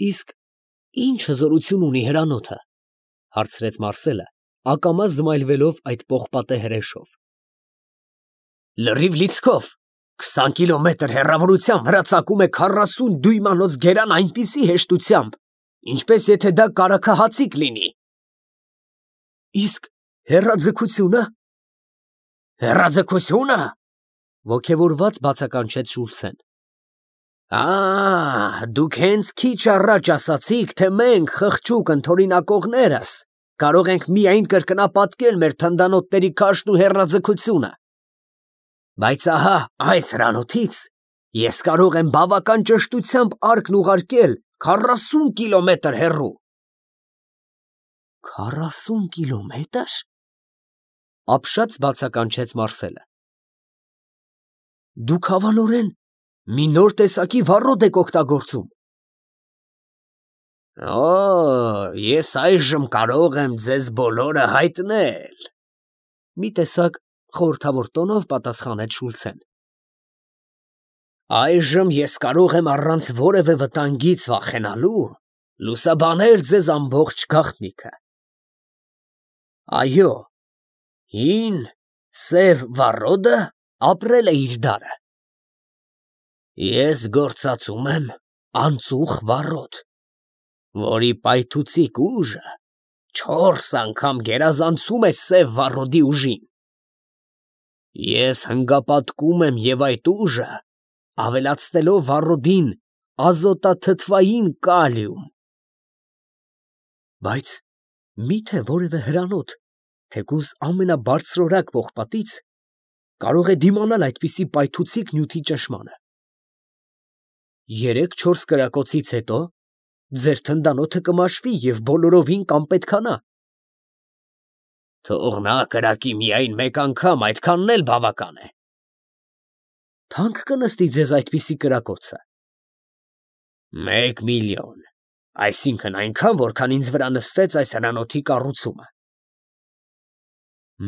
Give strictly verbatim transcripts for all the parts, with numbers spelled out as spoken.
Իսկ ի՞նչ հզորություն ունի հրանոթը, ֊ հարցրեց Մարսելը, ակամա զմայլվելով այդ պողպատե հրեշով։ Լրիվ լիցքով, քսան կիլոմետր հեռավորության վրա ծակում է քառասուն դույմանոց գերան այնպիսի հեշտությամբ, ինչպես եթե դա կարագահացիկ լինի։ Իսկ հեռաձգությո՞ւնը։ Հեռաձգությո՞ւնը, ոգևորված բացականչեց Շուլցեն։ Ա, դուք հենց քիչ առաջ ասացիք, թե մենք, խղճուկ ընդօրինակողներս, կարող ենք միայն կրկնապատկել մեր թնդանոթների քաշն ու հեռաձգությունը։ Բայց ահա այս հրանոթից ես կարող եմ բավական ճշտությամբ արկն ուղարկել քառասուն կիլոմետր հեռու։ Քառասուն կիլոմետր, ապշած բացականչեց Մարսելը։ Դուք հավանորեն մի նոր տեսակի վառոդ եք օգտագործում։ Օ, ես այժմ կարող եմ ձեզ բոլորը հայտնել, մի տեսակ խորհրդավոր տոնով պատասխանեց Շուլցեն։ Այժմ ես կարող եմ առանց որևէ վտանգից վախենալու լուսաբանել ձեզ ամբողջ գաղտնիքը։ Այո, հին սև վառոդը ապրել է իր դարը։ Ես գործածում եմ անծուխ վառոդ, որի պայթուցիկ ուժը չորս անգամ գերազանցում է սև վառոդի ուժին։ Ես հնգապատկում եմ և այդ ուժը, ավելացնելով վառոդին ազոտաթթվային կալիում։ Բայց մի՞թե որևէ հրանոթ, թեկուզ ամենաբարձրորակ պողպատից, կարող է դիմանալ այդպիսի պայթուցիկ նյութի ճնշմանը։ Երեք-չորս կրակոցից հետո ձեր թնդանոթը կմաշվի և բոլորովին կանպետքանա։ Թող նա կրակի միայն մեկ անգամ, այդքանն էլ բավական է։ Թանկ կնստի ձեզ այդպիսի կրակոցը։ Մեկ միլիոն, այսինքն այնքան, որքան ինձ վրա նստեց այս հրանոթի կառուցումը։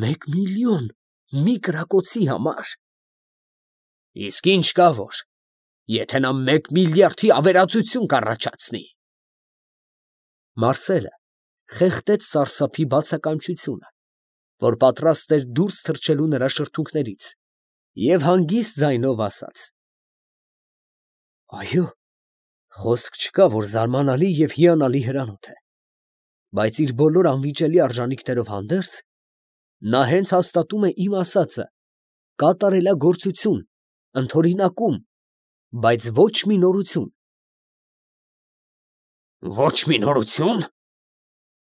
Մեկ միլիոն մի կրակոցի համար։ Իսկ ինչ կա որ, եթե նա մեկ միլիարդի ավերածություն կառաջացնի։ Մարսելը խեղդեց սարսափի բացականչությունը, որ պատրաստ էր դուրս թռչելու նրա շրթունքներից, և հանգիստ ձայնով ասաց. Այո, խոսք չկա, որ զարմանալի և հիանալի հրանոթ է, բայց իր բոլոր անվիճելի արժանիքներով հանդերձ, նա հենց հաստատում է իմ ասածը, կատարելագործություն, ընդօրինակում, բայց ոչ մի նորություն։ Ոչ մի նորություն,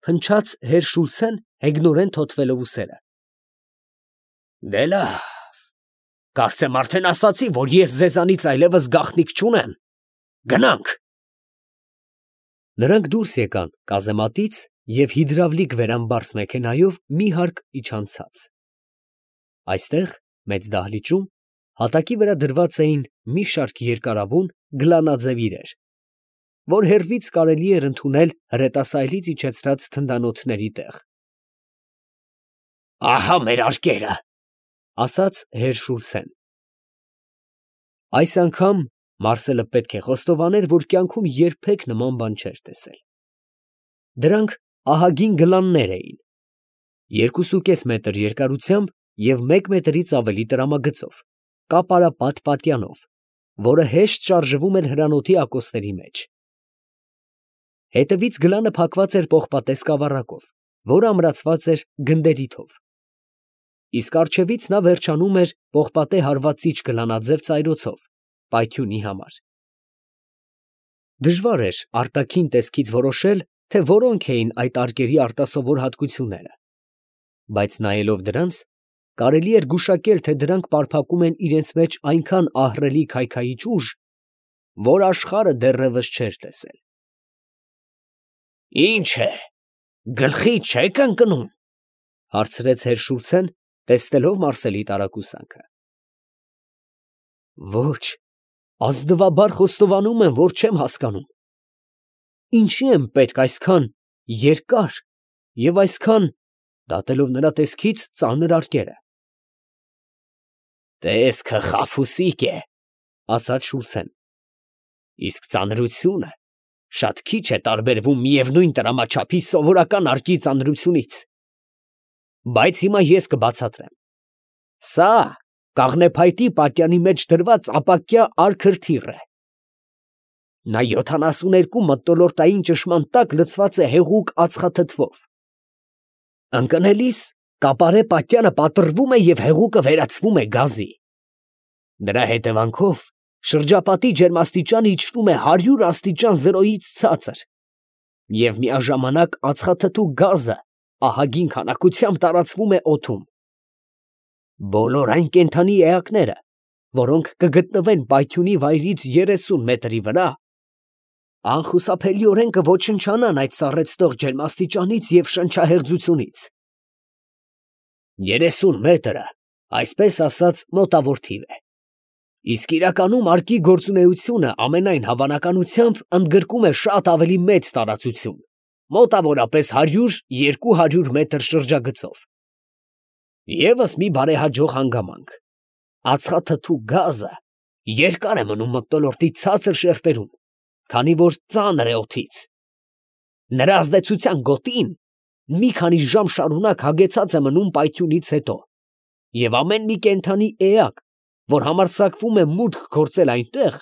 փնչաց հեր Շուլցեն հեգնորեն թոթվելով ուսերը։ Դե լավ, կարծեմ արդեն ասացի, որ ես ձեզանից այլևս գաղտնիք չունեմ, գնանք։ Նրանք դուրս եկան կազեմատից և հիդրավլիկ վերամբարձ մեքենայով մի հարկ իջան ցած։ Այստեղ, մեծ դահլիճում, հատակի վրա դրված էին մի շարք երկարավուն գլանաձև իրեր, որ հեռվից կարելի էր ընդունել հրետասայլից իջեցրած թնդանոթների տեղ։ Ահա մեր արկերը, ֊ ասաց հեր Շուլցեն։ Այս անգամ Մարսելը պետք է խոստովաներ, որ կյանքում երբեք նման բան չէր տեսել։ Դրանք ահագին գլաններ էին, երկուսուկես մետր երկարությամբ և մեկ մետրից ավելի տրամագծով, կապարապատ պատյանով, որը հեշտ շարժվում էր հրանոթի ակոսների մեջ։ Հետևից գլանը փակված էր պողպատե սկավառակով, որը ամրացված էր գնդերիթով։ Իսկ առջևից նա վերջանում էր պողպատե հարվածիչ գլանաձև ծայրոցով, պայթյունի համար։ Դժվար էր արտաքին տեսքից որոշել, թե որոնք էին այդ արկերի արտասովոր հատկությունները, բայց նայելով դրանց, կարելի էր գուշակել, թե դրանք պարփակում են իրենց մեջ այնքան ահռելի քայքայիչ ուժ, որ աշխարհը դեռևս չէր տեսել։ Ի՞նչ է, գլխի չե՞ք ընկնում, ֊ հարցրեց հեր Շուլցեն, տեսնելով Մարսելի տարակուսանքը։ Ոչ, ազնվաբար խոստովանում եմ, որ չեմ հասկանում։ Ինչի եմ պետք այսքան երկար և այսքան, դատելով նրա տեսքից, ծանր արկերը։ Տեսքը խաբուսիկ է, ֊ ասաց Շուլցեն, իսկ ծանրությունը Շատ քիչ է տարբերվում միևնույն տրամաչափի սովորական արկի ծանրությունից։ Բայց հիմա ես կբացատրեմ։ Սա կաղնեփայտի պատյանի մեջ դրված ապակյա արքրթիռ է։ Նա յոթանասուններկու մթնոլորտային ճշմարան տակ լցված է հեղուկ ածխաթթվով։ Ընկնելիս կապարե պատյանը պատռվում է և հեղուկը վերածվում է գազի։ Դրա հետևանքով շրջապատի ջերմաստիճանը իջնում է հարյուր աստիճան զրոյից ցածր, և միաժամանակ ածխաթթու գազը ահագին քանակությամբ տարածվում է օդում։ Բոլոր այն կենդանի էակները, որոնք կգտնվեն պայթյունի վայրից երեսուն մետրի վրա, անխուսափելիորեն կոչնչանան այդ սառեցնող ջերմաստիճանից և շնչահեղձությունից։ Երեսուն մետրը, այսպես ասած, մոտավոր թիվ է, իսկ իրականում արկի գործունեությունը ամենայն հավանականությամբ ընդգրկում է շատ ավելի մեծ տարածություն, մոտավորապես հարյուր երկու հարյուր մետր շրջագծով։ Եվս մի բարեհաջող հանգամանք. ածխաթթու գազը երկար է մնում մթնոլորտի ցածր շերտերում, քանի որ ծանր է օդից։ Նրա ազդեցության գոտին մի քանի ժամ շարունակ հագեցած է մնում պայթյունից հետո, և ամեն մի կենդանի էակ, որ համարձակվում է մուտք գործել այնտեղ,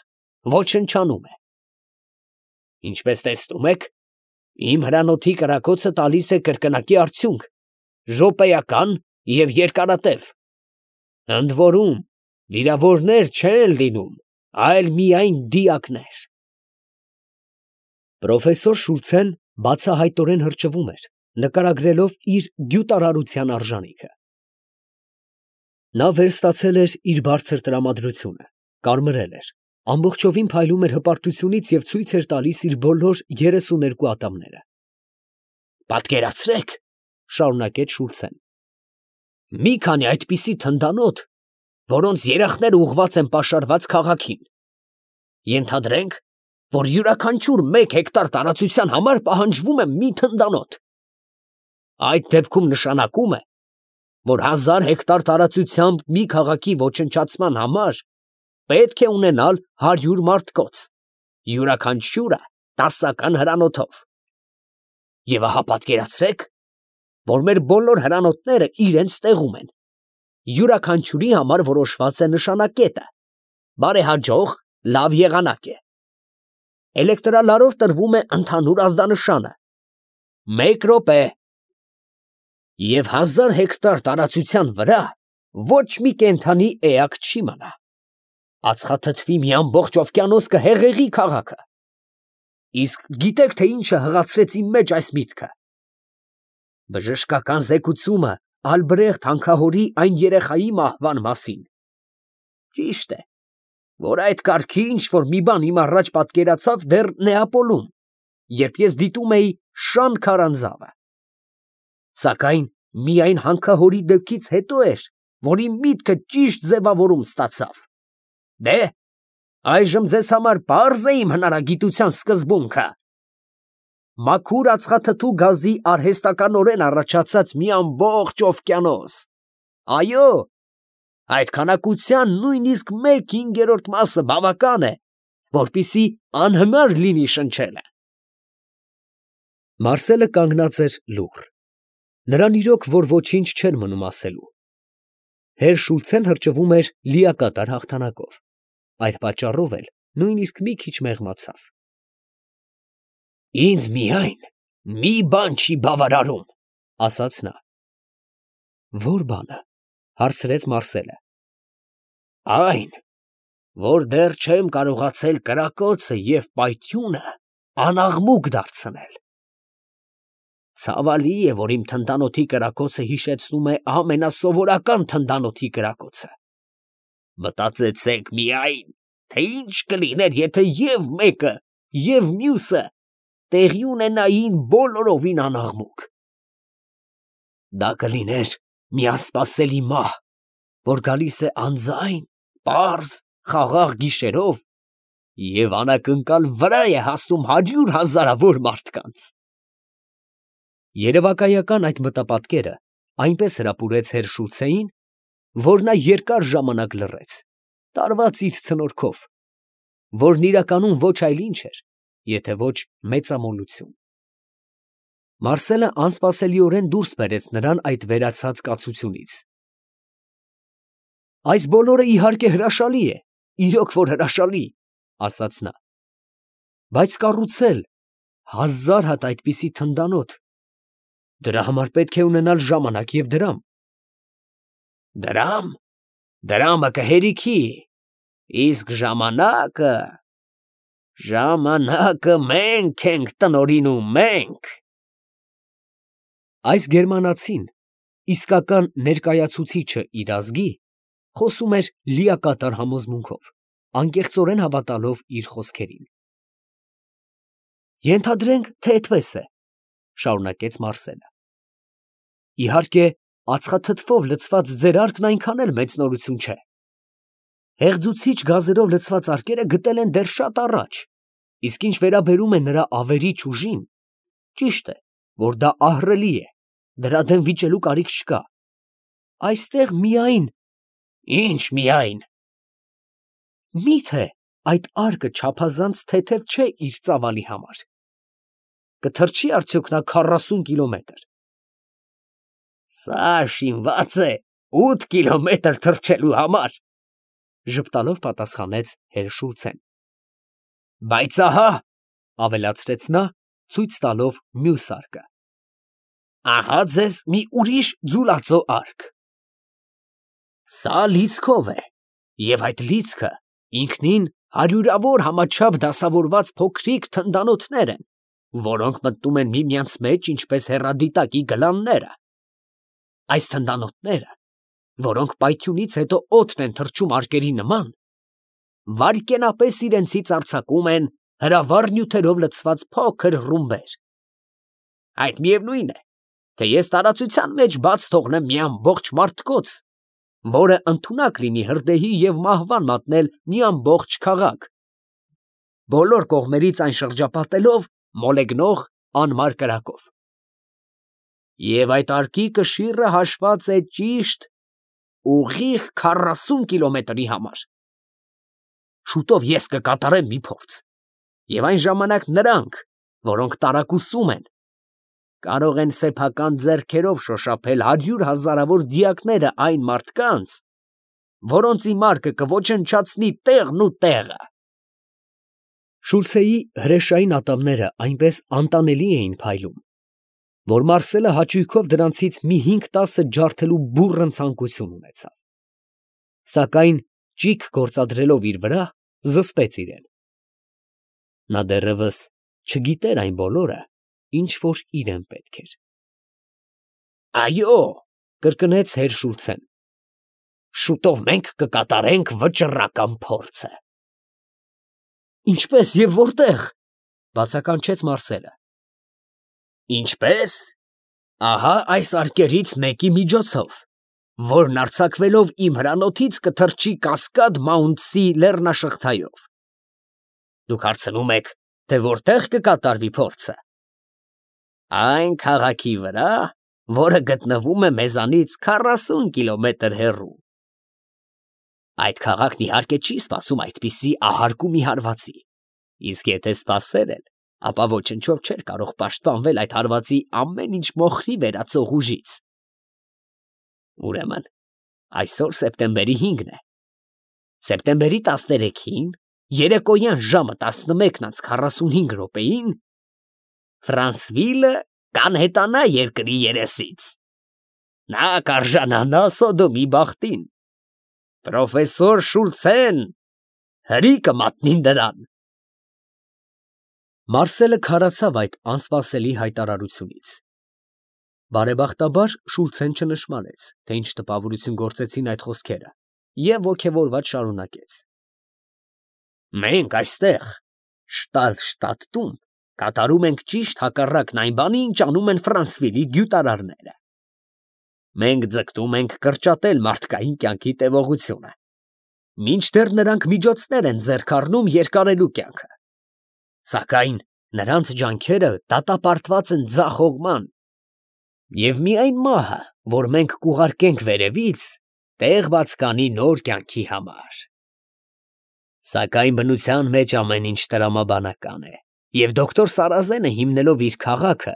ոչնչանում է։ Ինչպես տեսնում եք, իմ հրանոթի կրակոցը տալիս է կրկնակի արդյունք, րոպեական և երկարատև։ Ընդ որում, վիրավորներ չեն լինում, այլ միայն դիակներ։ Պրոֆեսոր Շուլցեն բացահայտորեն հրճվում էր, նկարագրելով իր գյուտարարության արժանիքը։ Նա վերստացել էր իր բարձր տրամադրությունը, կարմրել էր, ամբողջովին փայլում էր հպարտությունից և ցույց էր տալիս իր բոլոր երեսուներկու ատամները։ Պատկերացրեք, շարունակեց Շուլցեն, մի քանի այդպիսի թնդանոթ, որոնց երախները ուղղված են պաշարված քաղաքին։ Ենթադրենք, որ յուրաքանչյուր մեկ հեկտար տարածության համար պահանջվում է մի թնդանոթ։ Այդ դեպքում նշանակում է, որ հազար հեկտար տարածությամբ մի քաղաքի ոչնչացման համար պետք է ունենալ հարյուր մարդկոց, յուրաքանչյուրը տասական հրանոթով։ Եվ ահա պատկերացրեք, որ մեր բոլոր հրանոթները իրենց տեղում են, յուրաքանչյուրի համար որոշված է նշանակետը, բարեհաջող, լավ եղանակ է։ Էլեկտրալարով տրվում է ընդհանուր ազդանշանը՝ մեկ րոպե։ Եվ հազար հեկտար տարածության վրա ոչ մի կենդանի էակ չի մնա։ Ածխաթթվի մի ամբողջ օվկիանոս կհեղեղի քաղաքը։ Իսկ գիտեք, թե ինչը հղացրեց իմ մեջ այս միտքը։ Բժշկական զեկուցումը Ալբրեխտ հանքահորի այն երեխայի մահվան մասին։ Ճիշտ է, որ այդ կարգի ինչ-որ մի բան իմ առաջ պատկերացավ դեռ Նեապոլում, երբ ես դիտում էի Շան քարանձավը։ Սակայն միայն հանքահորի դեպքից հետո էր, որ իմ միտքը ճիշտ ձևավորում ստացավ։ Դե, այժմ ձեզ համար պարզ է իմ հնարագիտության սկզբունքը։ Մաքուր ածխաթթու գազի արհեստականորեն առաջացած մի ամբողջ օվկիանոս։ Այո, այդ քանակության նույնիսկ մեկ հինգերորդ մասը բավական է, որպեսզի անհնար լինի շնչելը։ Մարսելը կանգնած էր լուռ։ Նրան իրոք որ ոչինչ չէր մնում ասելու։ Հեր Շուլցեն հրճվում էր լիակատար հաղթանակով, այդ պատճառով էլ նույնիսկ մի քիչ մեղմացավ։ Ինձ միայն մի բան չի բավարարում, ասաց նա։ Ո՞ր բանը, հարցրեց Մարսելը։ Այն, որ դեռ չեմ կարողացել կրակոցը և պայթյունը անաղմուկ դարձնել։ Ցավալի է, որ իմ թնդանոթի կրակոցը հիշեցնում է ամենասովորական թնդանոթի կրակոցը։ Մտածեցեք միայն, թե ինչ կլիներ, եթե և մեկը, և մյուսը տեղի ունենային բոլորովին անաղմուկ։ Դա կլիներ մի անսպասելի մահ, որ գալիս է անձայն, պարզ, խաղաղ գիշերով և անակնկալ վրա է հասնում հարյուր հազարավոր մարդկանց։ Երևակայական այդ մտապատկերը այնպես հրապուրեց հեր Շուլցեին, որ նա երկար ժամանակ լռեց, տարված իր ցնորքով, որն իրականում ոչ այլ ինչ էր, եթե ոչ մեծամոլություն։ Մարսելը անսպասելիորեն դուրս բերեց նրան այդ վերացած կացությունից։ Այս բոլորը իհարկե հրաշալի է, իրոք որ հրաշալի, ասաց նա, բայց կառուցել հազար հատ այդպիսի թնդանոթ, դրա համար պետք է ունենալ ժամանակ և դրամ։ Դրամ, դրամը կհերիքի, իսկ ժամանակը, ժամանակը մենք ենք տնօրինում, մենք։ Այս գերմանացին, իսկական ներկայացուցիչը իր ազգի, խոսում էր լիակատար համոզմունքով, անկեղծորեն հավատալով իր խոսքերին։ Ենթադրենք, թե այդպես է, շարունակեց Մարսելը։ Իհարկե, ածխաթթվով լցված ձեր արկն այնքան էլ մեծ նորություն չէ։ Հեղձուցիչ գազերով լցված արկերը գտել են դեռ շատ առաջ, իսկ ինչ վերաբերում է նրա ավերիչ ուժին, ճիշտ է, որ դա ահռելի է, դրա դեմ վիճելու կարիք չկա։ Այստեղ միայն… Ինչ միայն… Մի՞թե այդ արկը չափազանց թեթև չէ իր ծավալի համար։ Կթռչի արդյոք նա քառասուն կիլոմետր։ Սա շինված է ութ կիլոմետր թռչելու համար, ժպտալով պատասխանեց հեր Շուլցեն։ Բայց ահա, ավելացրեց նա, ցույց տալով մյուս արկը, ահա ձեզ մի ուրիշ ձուլածո արկ։ Սա լիցքով է, և այդ լիցքը ինքնին հարյուրավոր համաչափ դասավորված փոքրիկ թնդանոթներ են, որոնք մտնում են միմյանց մեջ ինչպես հեռադիտակի գլանները։ Այս թնդանոթները, որոնք պայթյունից հետո օդն են թռչում արկերի նման, վայրկենապես իրենցից արձակում են հրավառ նյութերով լցված փոքր ռումբեր։ Այդ միևնույն է, թե ես տարածության մեջ բաց թողնեմ մի ամբողջ մարդկոց, որը ընդունակ լինի հրդեհի և մահվան մատնել մի ամբողջ քաղաք, բոլոր կողմերից այն շրջապատելով մոլեգնող անմար կրակով։ Եվ այդ արկի կշիռը հաշված է ճիշտ ուղիղ քառասուն կիլոմետրի համար։ Շուտով ես կկատարեմ մի փորձ, և այն ժամանակ նրանք, որոնք տարակուսում են, կարող են սեփական ձեռքերով շոշափել հարյուր հազարավոր դիակները այն մարդկանց, որոնց իմ արկը կոչնչացնի տեղն ու տեղը։ Շուլցեի հրեշային ատամները այնպես անտանելի էին փայլում, որ Մարսելը հաճույքով դրանցից մի հինգ֊տասը ջարդելու բուռն ցանկություն ունեցավ, սակայն ճիգ գործադրելով իր վրա, զսպեց իրեն։ Նա դեռևս չգիտեր այն բոլորը, ինչ որ իրան պետք էր։ Այո, կրկնեց հեր Շուլցեն, շուտով մենք կկատարենք վճռական փորձը։ Ինչպե՞ս և որտե՞ղ, բացականչեց Մարսելը։ Ինչպե՞ս, ահա այս արկերից մեկի միջոցով, որն արձակվելով իմ հրանոթից կթռչի Կասկադ Մաունտսի լեռնաշղթայով։ Դուք հարցնում եք, թե որտե՞ղ կկատարվի փորձը։ Այն քաղաքի վրա, որը գտնվում է մեզանից քառասուն կիլոմետր հեռու։ Այդ քաղաքն իհարկե չի սպասում այդպիսի ահարկումի հարվածի, իսկ եթե սպասեր էլ, ապա ոչնչով չէր կարող պաշտպանվել այդ հարվածի ամեն ինչ մոխրի վերածող ուժից։ Ուրեմն, այսօր սեպտեմբերի հինգն է։ Սեպտեմբերի տասներեքին, երեկոյան ժամը տասնմեկն անց քառասունհինգ րոպեին, Ֆրանսվիլը կանհետանա երկրի երեսից։ Նա կարժանանա Սոդոմի բախտին։ Պրոֆեսոր Շուլցեն հրի կմատնի նրան։ Մարսելը քարացավ այդ անսպասելի հայտարարությունից։ Բարեբախտաբար Շուլցեն չնշմարեց, թե ինչ տպավորություն գործեցին այդ խոսքերը, և ոգևորված շարունակեց. Մենք այստեղ, Շտալշտադտում, կատարում ենք ճիշտ հակառակն այն բանի, ինչ անում են Ֆրանսվիլի գյուտարարները։ Մենք ձգտում ենք կրճատել մարդկային կյանքի տևողությունը, մինչդեռ նրանք միջոցներ են ձեռք առնում երկարելու կյանքը։ Սակայն նրանց ջանքերը դատապարտված են ձախողման, և միայն մահը, որ մենք կուղարկենք վերևից, տեղ բաց կանի նոր կյանքի համար։ Սակայն բնության մեջ ամեն ինչ տրամաբանական է։ Եվ դոկտոր Սարազենը հիմնելով իր քաղաքը,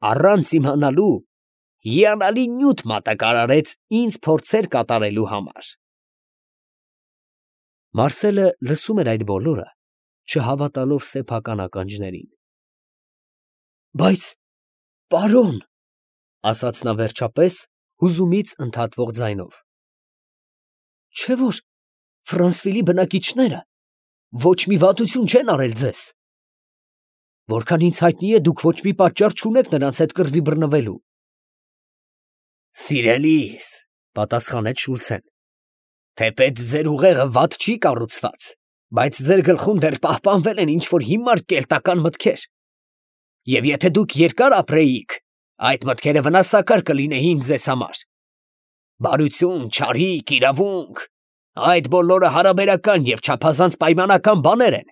առանց իմանալու, հիանալի նյութ մատակարարեց ինձ փորձեր կատարելու համար։ Մարսելը լսում էր այդ բոլորը, չհավատալով սեփական ականջներին։ Բայց, պարոն, ասաց նա վերջապես հուզումից ընդհատվող ձայնով, չէ՞ որ Ֆրանսվիլի բնակիչները ոչ մի վատություն չեն արել ձեզ։ Որքան ինձ հայտնի է, դուք ոչ մի պատճառ չունեք նրանց հետ կռվի բռնվելու։ Սիրելիս, պատասխանեց Շուլցեն, թեպետ ձեր ուղեղը վատ չի կառուցված, բայց ձեր գլխում դեռ պահպանվել են ինչ-որ հիմար կելտական մտքեր։ Եվ եթե դուք երկար ապրեիք, այդ մտքերը վնասակար կլինեին ձեզ համար։ Բարություն, չարիք, իրավունք, այդ բոլորը հարաբերական և չափազանց պայմանական բաներ են։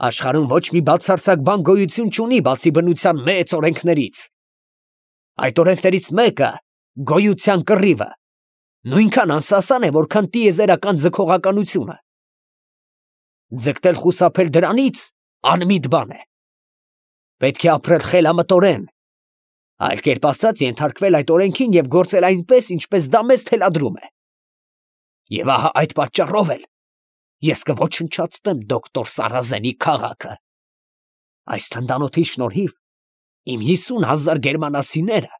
Աշխարհում ոչ մի բացարձակ բան գոյություն չունի, բացի բնության մեծ օրենքներից։ Այդ օրենքներից մեկը գոյության կռիվը, նույնքան անսասան է, որքան տիեզերական ձգողականությունը։ Ձգտել խուսափել դրանից անմիտ բան է։ Պետք է ապրել խելամտորեն, այլ կերպ ասած ենթարկվել այդ օրենքին և գործել այնպես, ինչպես դա մեզ թելադրում է։ Եվ ահա այդ պատճառով էլ ես կոչնչացնեմ դոկտոր Սարազենի քաղաքը։ Այս թնդանոթի շնորհիվ իմ հիսուն հազար գերմանացիները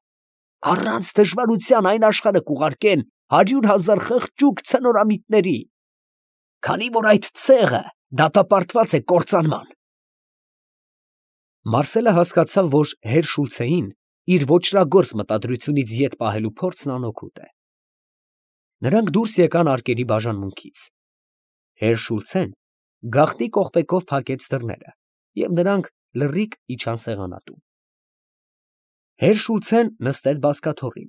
առանց դժվարության այն աշխարհը կուղարկեն հարյուր հազար խղճուկ ցնորամիտների, քանի որ այդ ցեղը դատապարտված է կործանման։ Մարսելը հասկացավ, որ հեր Շուլցեին իր ոճրագործ մտադրությունից ետ պահելու փորձն անօգուտ է։ Նրանք դուրս եկան արկերի բաժանմունքից։ Հեր Շուլցեն գաղտնի կողպեքով փակեց դռները, և նրանք լռիկ իջան սեղանատուն։ Հեր Շուլցեն նստեց բազկաթոռին,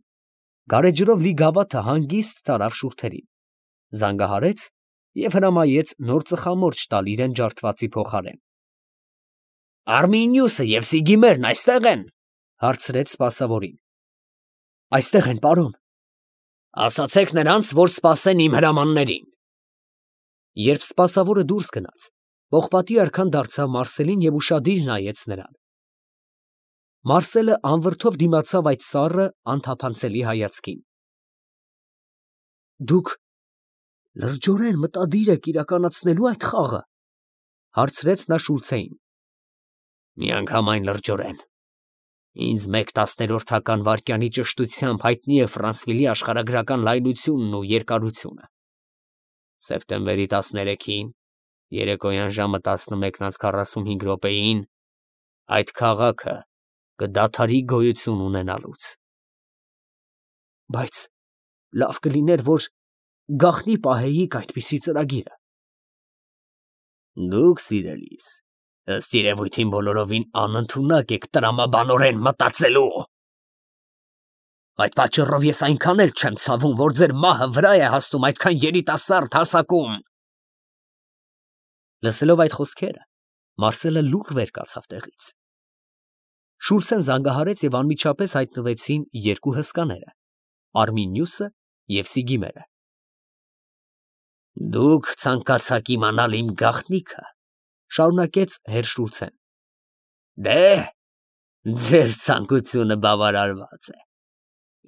գարեջրով լի գավաթը հանգիստ տարավ շուրթերին, զանգահարեց և հրամայեց նոր ծխամորճ տալ իրան ջարդվածի փոխարեն։ Արմինիուսը և Սիգիմերն այստե՞ղ են, հարցրեց սպասավորին։ Այստեղ են, պարոն։ Ասացեք նրանց, որ սպասեն իմ հրամաններին։ Երբ սպասավորը դուրս գնաց, պողպատի արքան դարձավ Մարսելին և ուշադիր նայեց նրան։ Մարսելը անվրդով դիմացավ այդ սառը, անթափանցելի հայացքին։ Դուք լրջորեն մտադիր եք իրականացնելու այդ խաղը, հարցրեց նա Շուլցեին։ Միանգամայն լրջորեն։ Ինձ մեկ տասներորդական վայրկյանի ճշտությամբ հայտնի է Ֆրանսվիլի աշխարհագրական լայնությունն ու երկարությունը։ Սեպտեմբերի տասներեքին, երեկոյան ժամը տասնմեկն անց քառասունհինգ րոպեին, այդ քաղաքը կդադարի գոյություն ունենալուց։ Բայց լավ կլիներ, որ գաղտնի պահեիք այդպիսի ծրագիրը։ Դուք, սիրելիս, ըստ երևույթին բոլորովին անընդունակ եք տրամաբանորեն մտածելու։ Այդ պատճառով ես այնքան էլ չեմ ցավում, որ ձեր մահը վրա է հասնում այդքան երիտասարդ հասակում։ Լսելով այդ խոսքերը, Մարսելը լուռ վեր կացավ տեղից։ Շուլցեն զանգահարեց և անմիջապես հայտնվեցին երկու հսկաները՝ Արմինիուսը և Սիգիմերը։ Դուք ցանկացաք իմանալ իմ գաղտնիքը, շարունակեց հեր Շուլցեն։ Դե, ձեր ցանկությունը բավարարված է։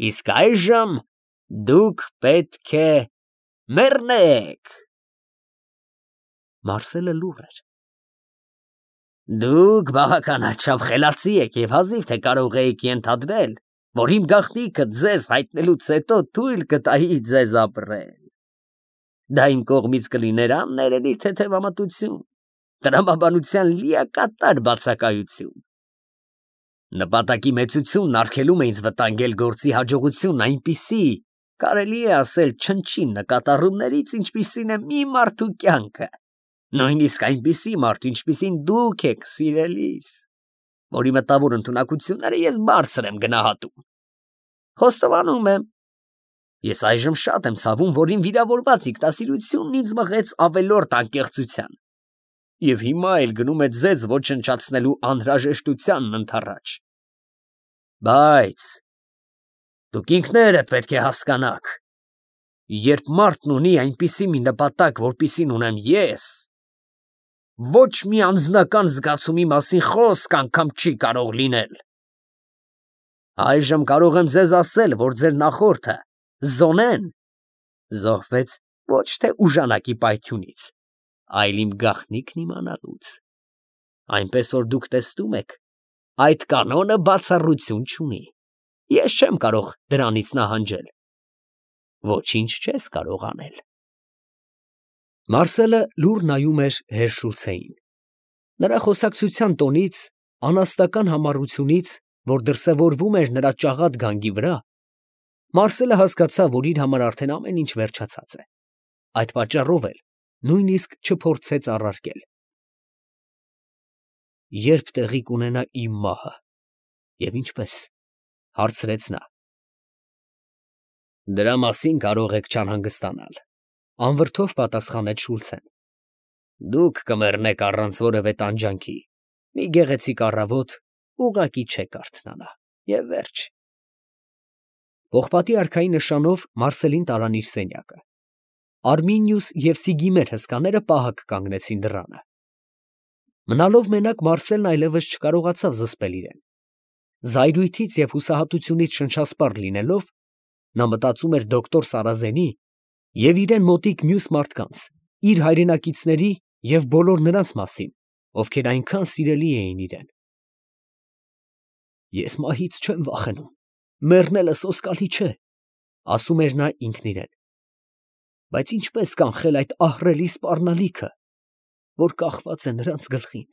Իսկ այժմ դուք պետք է մեռնեք։ Մարսելը լուռ էր։ Դուք բավականաչափ խելացի եք և հազիվ թե կարող եք ենթադրել, որ իմ գաղտնիքը ձեզ հայտնելուց հետո թույլ կտայի ձեզ ապրել։ Դա իմ կողմից կլիներ աններելի թեթևամտություն, տրամաբանության լիակատար բացակայություն։ Նպատակի մեծությունն արգելում է ինձ վտանգել գործի հաջողությունն այնպիսի, կարելի է ասել, չնչին նկատառումներից, ինչպիսին է մի մարդու կյանքը, նույնիսկ այնպիսի մարդ, ինչպիսին դուք եք, սիրելիս, որի մտավոր ընդունակությունները ես բարձր եմ գնահատում։ Խոստովանում եմ, ես այժմ շատ եմ ցավում, որ իմ վիրավորված ինքնասիրությունն ինձ մղեց ավելորդ անկեղծության և հիմա էլ գնում է ձեզ ոչնչացնելու անհրաժեշտությանն ընդառաջ։ Բայց դուք ինքներդ պետք է հասկանաք, երբ մարդն ունի այնպիսի մի նպատակ, որպիսին ունեմ ես, ոչ մի անձնական զգացումի մասին խոսք անգամ չի կարող լինել։ Այժմ կարող եմ ձեզ ասել, որ ձեր նախորդը Զոնեն զոհվեց ոչ թե ուժանակի պայթյունից, այլ իմ գաղտնիքն իմանալուց, այնպես որ դուք տեսնում եք, այդ կանոնը բացառություն չունի, ես չեմ կարող դրանից նահանջել, ոչինչ չես կարող անել։ Մարսելը լուռ նայում էր Հերշուլցեին, նրա խոսակցության տոնից, անաստական համառությունից, որ դրսևորվում էր նրա ճաղատ գանգի վրա, Մարսելը հասկացավ, որ իր համար արդեն ամեն ինչ վերջացած է, այդ պատճառով էլ նույնիսկ չփորձեց առարկել։ Երբ տեղի կունենա իմ մահը, և ինչպես, հարցրեց նա։ Դրա մասին կարող եք չանհանգստանալ, անվրդով պատասխանեց Շուլցեն։ Դուք կմեռնեք առանց որևէ տանջանքի, մի գեղեցիկ առավոտ ուղղակի չեք արթնանա, և վերջ։ Պողպատի արքայի նշանով Մարսելին տարան իր սենյակը։ Արմինիուս և Սիգիմեր հսկաները պահակ կանգնեցին դռանը։ Մնալով մենակ Մարսելն այլևս չկարողացավ զսպել իրեն։ Զայրույթից և հուսահատությունից շնչասպառ լինելով, նա մտածում էր դոկտոր Սարազենի և իրեն մոտիկ մյուս մարդկանց, իր հայրենակիցների և բոլոր նրանց մասին, ովքեր այնքան սիրելի էին իրան։ Ես մահից չեմ վախենում, մեռնելը սոսկալի չէ, ասում էր նա ինքն իրան, բայց ինչպես կանխել այդ ահռելի սպառնալիքը, որ կախված է նրանց գլխին։